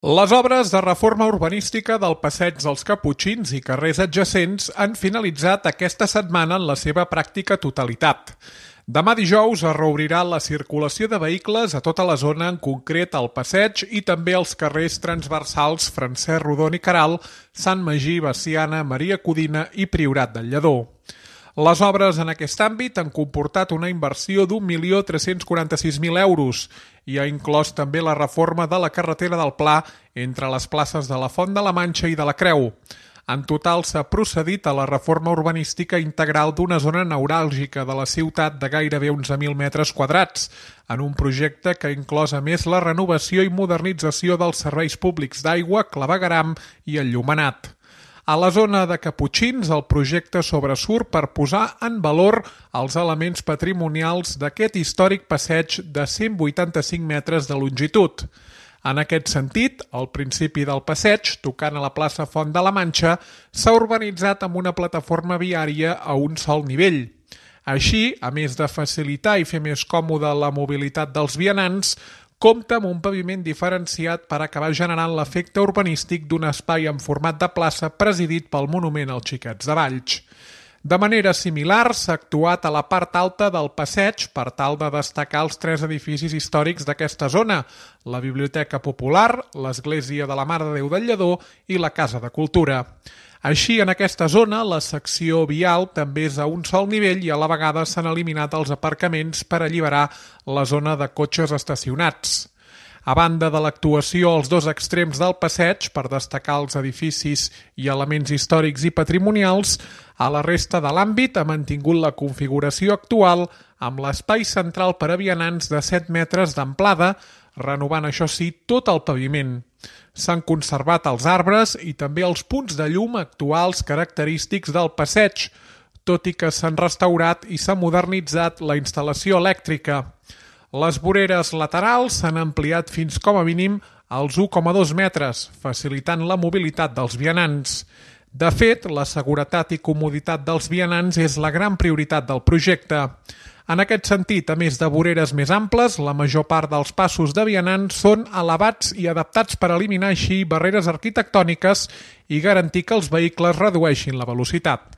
Les obres de reforma urbanística del Passeig dels Caputxins i carrers adjacents han finalitzat aquesta setmana en la seva pràctica totalitat. Demà dijous es reobrirà la circulació de vehicles a tota la zona, en concret al passeig i també als carrers transversals Francesc Rodon i Queralt, Sant Magí, Veciana, Maria Codina i Priorat del Lledó. Les obres en aquest àmbit han comportat una inversió d'1.346.000 euros i ha inclòs també la reforma de la carretera del Pla entre les places de la Font de la Manxa i de la Creu. En total s'ha procedit a la reforma urbanística integral d'una zona neuràlgica de la ciutat de gairebé 11.000 metres quadrats, en un projecte que ha inclòs a més la renovació i modernització dels serveis públics d'aigua, clavegueram i enllumenat. A la zona de Caputxins, el projecte sobresurt per posar en valor els elements patrimonials d'aquest històric passeig de 185 metres de longitud. En aquest sentit, al principi del passeig, tocant a la plaça Font de la Manxa, s'ha urbanitzat amb una plataforma viària a un sol nivell. Així, a més de facilitar i fer més còmoda la mobilitat dels vianants, compta amb un paviment diferenciat per acabar generant l'efecte urbanístic d'un espai en format de plaça presidit pel monument als Xiquets de Valls. De manera similar, s'ha actuat a la part alta del passeig per tal de destacar els 3 edificis històrics d'aquesta zona, la Biblioteca Popular, l'Església de la Mare de Déu del Lledó i la Casa de Cultura. Així, en aquesta zona, la secció vial també és a un sol nivell i a la vegada s'han eliminat els aparcaments per alliberar la zona de cotxes estacionats. A banda de l'actuació als 2 extrems del passeig per destacar els edificis i elements històrics i patrimonials, a la resta de l'àmbit ha mantingut la configuració actual amb l'espai central per a vianants de 7 metres d'amplada, renovant això sí tot el paviment. S'han conservat els arbres i també els punts de llum actuals característics del passeig, tot i que s'han restaurat i s'ha modernitzat la instal·lació elèctrica. Les voreres laterals s'han ampliat fins com a mínim als 1,2 metres, facilitant la mobilitat dels vianants. De fet, la seguretat i comoditat dels vianants és la gran prioritat del projecte. En aquest sentit, a més de voreres més amples, la major part dels passos de vianants són elevats i adaptats per eliminar així barreres arquitectòniques i garantir que els vehicles redueixin la velocitat.